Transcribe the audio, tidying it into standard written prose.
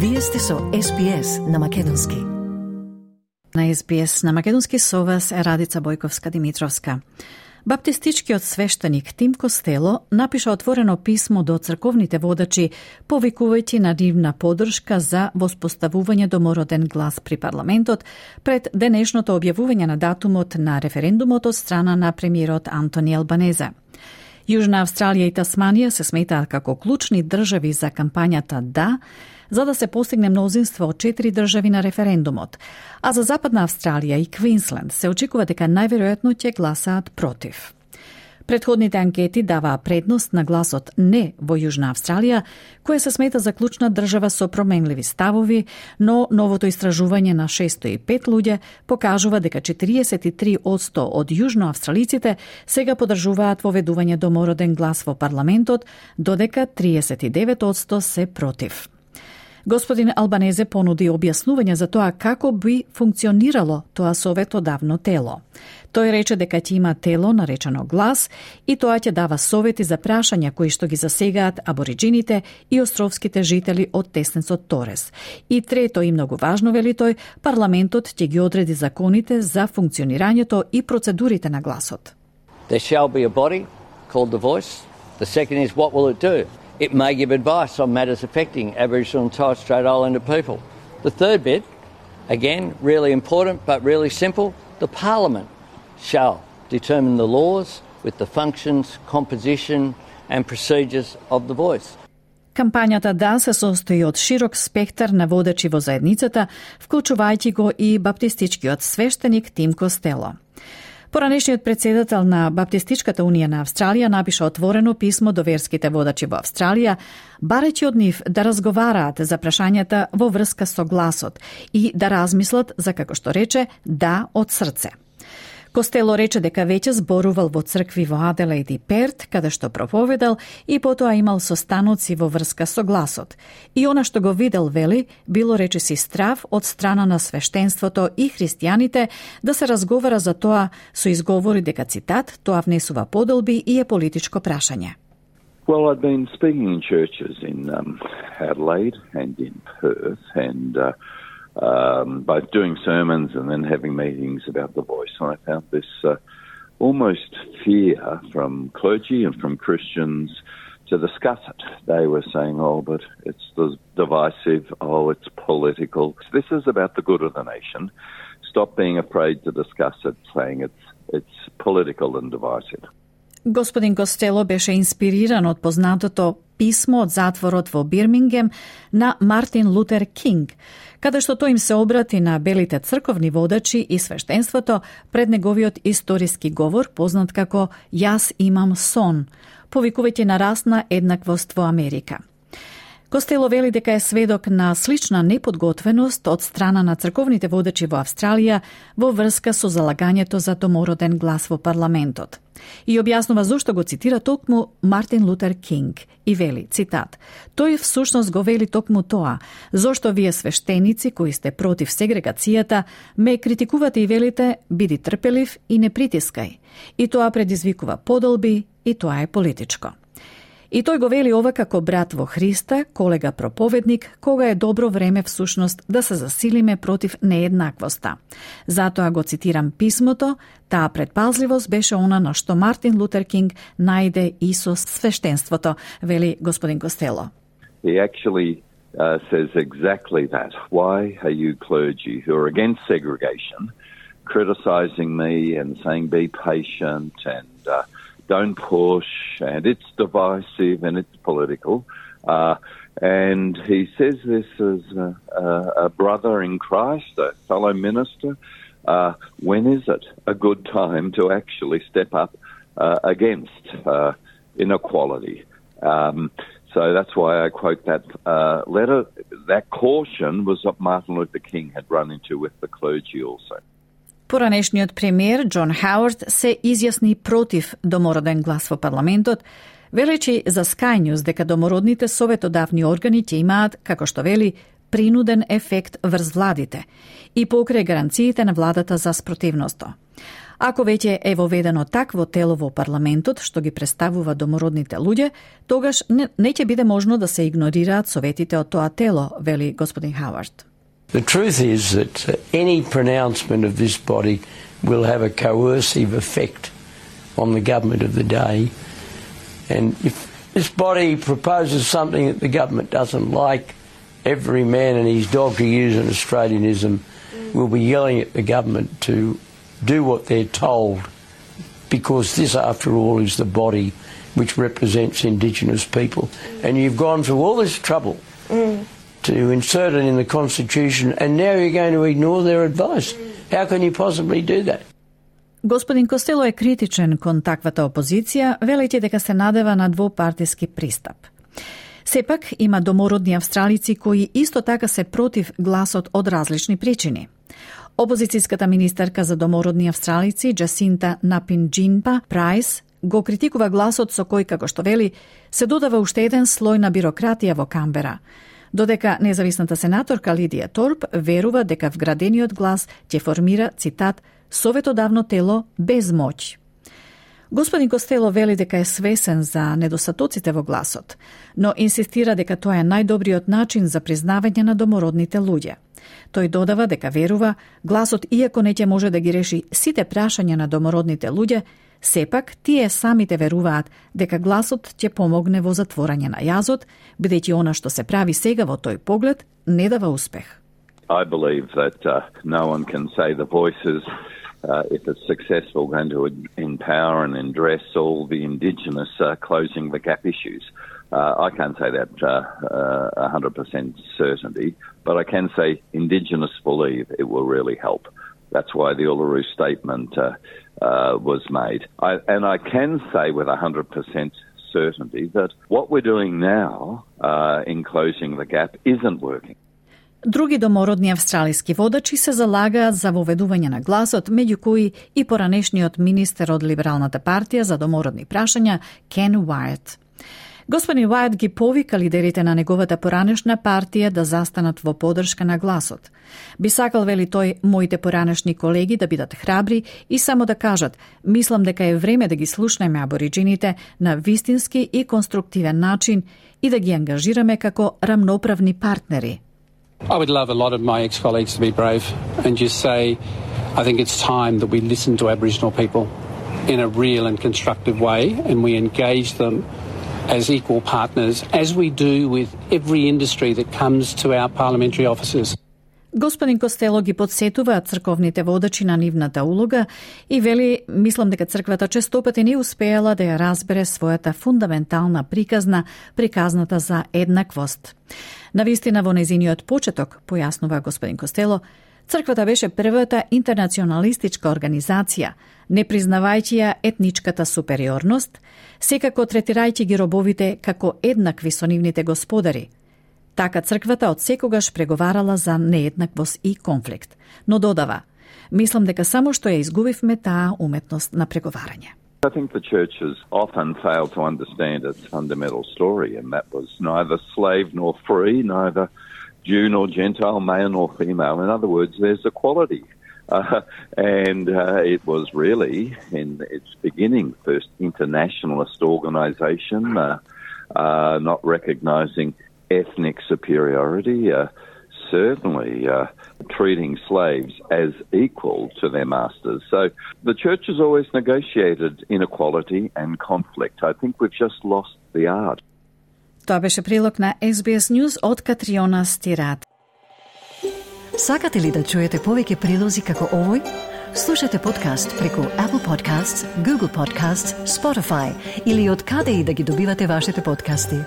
Вие сте со SBS на македонски. На SBS на македонски со вас е Радица Бојковска-Димитровска. Баптистичкиот свештеник Тим Костело напиша отворено писмо до црковните водачи, повикувајќи на нивна поддршка за воспоставување домороден глас при парламентот пред денешното објавување на датумот на референдумот од страна на премиерот Антони Албанезе. Јужна Австралија и Тасманија се сметаат како клучни држави за кампањата «Да», за да се постигне мнозинство од 4 држави на референдумот, а за Западна Австралија и Квинсленд се очекува дека најверојатно ќе гласаат против. Предходните анкети даваа предност на гласот «Не» во Јужна Австралија, која се смета за клучна држава со променливи ставови, но новото истражување на 605 луѓе покажува дека 43% од јужноавстралиците сега поддржуваат воведување домороден глас во парламентот, додека 39% се против. Господин Албанезе понуди објаснување за тоа како би функционирало тоа советодавно тело. Тој рече дека ќе има тело наречено глас и тоа ќе дава совети за прашања кои што ги засегаат абориджините и островските жители од теснецот Торес. И трето и многу важно, вели тој, парламентот ќе ги одреди законите за функционирањето и процедурите на гласот. There shall be a body called the Voice. The second is, what will it do? It may give advice on matters affecting Aboriginal and Torres Strait Islander people. The third bit, again, really important but really simple, the Parliament shall determine the laws with the functions, composition and procedures of the Voice. Кампањата «Да» се состои од широк спектар на водачи во заедницата, вклучувајќи го и баптистичкиот свештеник Тим Костело. Поранешниот председател на Баптистичката унија на Австралија напиша отворено писмо до верските водачи во Австралија, барајќи од нив да разговараат за прашањата во врска со гласот и да размислат за, како што рече, «да» од срце. Костело рече дека веќе зборувал во цркви во Аделаид и Перт, каде што проповедал и потоа имал состаноци во врска со гласот. И она што го видел, вели, било речиси страв од страна на свештенството и христијаните да се разговара за тоа со изговори дека, цитат, тоа внесува поделби и е политичко прашање. Well, I've been speaking in churches in Adelaide and in Perth and both doing sermons and then having meetings about the Voice. And I found this almost fear from clergy and from Christians to discuss it. They were saying, oh, but it's divisive, oh, it's political. This is about the good of the nation. Stop being afraid to discuss it, saying it's political and divisive. Господин Костело беше инспириран од познатото писмо од затворот во Бирмингем на Мартин Лутер Кинг, каде што тој им се обрати на белите црковни водачи и свештенството пред неговиот историски говор, познат како «Јас имам сон», повикувајќи на расна еднаквост во Америка. Костело вели дека е сведок на слична неподготвеност од страна на црковните водачи во Австралија во врска со залагањето за домороден глас во парламентот. И објаснува зошто го цитира токму Мартин Лутер Кинг и вели, цитат, тој всушност го вели токму тоа, зошто вие свештеници кои сте против сегрегацијата ме критикувате и велите биди трпелив и не притискај. И тоа предизвикува поделби и тоа е политичко. И тој го вели ова како брат во Христа, колега проповедник, кога е добро време всушност да се засилиме против нееднаквоста. Затоа го цитирам писмото, таа предпазливост беше она на што Мартин Лутер Кинг најде и со свештенството, вели господин Костело. He actually says exactly that. Why are you clergy who are against segregation criticizing me and saying be patient and don't push, and it's divisive and it's political. And he says this as a brother in Christ, a fellow minister. When is it a good time to actually step up against inequality? So that's why I quote that letter. That caution was what Martin Luther King had run into with the clergy also. Поранешниот премиер Џон Хауард се изјасни против домороден глас во парламентот, велечи за Sky News дека домородните советодавни органи ќе имаат, како што вели, принуден ефект врз владите и покрај гаранциите на владата за спротивноста. Ако веќе е воведено такво тело во парламентот што ги представува домородните луѓе, тогаш не ќе биде можно да се игнорираат советите од тоа тело, вели господин Хауард. The truth is that any pronouncement of this body will have a coercive effect on the government of the day. And if this body proposes something that the government doesn't like, every man and his dog, to use an Australianism, will be yelling at the government to do what they're told, because this, after all, is the body which represents Indigenous people. And you've gone through all this trouble to insert it in the Constitution, and now you're going to ignore their advice. How can you possibly do that? Господин Костело е критичен кон таквата опозиција, велејќи дека се надева на двопартиски пристап. Сепак, има домородни австралици кои исто така се против гласот од различни причини. Опозицијската министерка за домородни австралици, Джасинта Напинџинпа Прайс, го критикува гласот со кој, како што вели, се додава уште еден слој на бирократија во Камбера, додека независната сенаторка Лидија Торп верува дека вградениот глас ќе формира, цитат, советодавно тело без моќ. Господин Костело вели дека е свесен за недостатоците во гласот, но инсистира дека тоа е најдобриот начин за признавање на домородните луѓе. Тој додава дека верува, гласот, иако не ќе може да ги реши сите прашања на домородните луѓе, сепак тие самите веруваат дека гласот ќе помогне во затворање на јазот, бидејќи она што се прави сега во тој поглед не дава успех. I believe that no one can say the voices, if it's successful, going to empower and address all the Indigenous closing the gap issues. I can't say that 100% certainty, but I can say Indigenous believe it will really help. That's why the Uluru Statement was made. And I can say with 100% certainty that what we're doing now in closing the gap isn't working. Други домородни австралиски водачи се залагаат за воведување на гласот, меѓу кои и поранешниот министер од Либералната партија за домородни прашања Кен Уајт. Господин Уајт ги повика лидерите на неговата поранешна партија да застанат во поддршка на гласот. Би сакал, вели тој, моите поранешни колеги да бидат храбри и само да кажат, мислам дека е време да ги слушнеме абориджините на вистински и конструктивен начин и да ги ангажираме како рамноправни партнери. I would love a lot of my ex-colleagues to be brave and just say, I think it's time that we listen to Aboriginal people in a real and constructive way and we engage them as equal partners, as we do with every industry that comes to our parliamentary offices. Господин Костело ги подсетува црковните водачи на нивната улога и вели, мислам дека црквата честопати не успеала да ја разбере својата фундаментална приказната за еднаквост. Навистина во незиниот почеток, појаснува господин Костело, црквата беше првата интернационалистичка организација, не признавајќи ја етничката супериорност, секако третирајќи ги робовите како еднакви со нивните господари. Така црквата од секогаш преговарала за нееднаквост и конфликт, но додава, мислам дека само што ја изгубивме таа уметност на преговарање. I think the church has often failed to understand its fundamental story, and that was neither slave nor free, neither Jew nor Gentile, male nor female. In other words, there's equality. And it was really, in its beginning, first internationalist organisation, not recognising ethnic superiority, certainly treating slaves as equal to their masters. So the church has always negotiated inequality and conflict. I think we've just lost the art. Тоа беше прилог на SBS News од Катриона Стират. Сакате ли да чуете повеќе прилози како овој? Слушате подкаст преку Apple Podcasts, Google Podcasts, Spotify или од каде и да ги добивате вашите подкасти.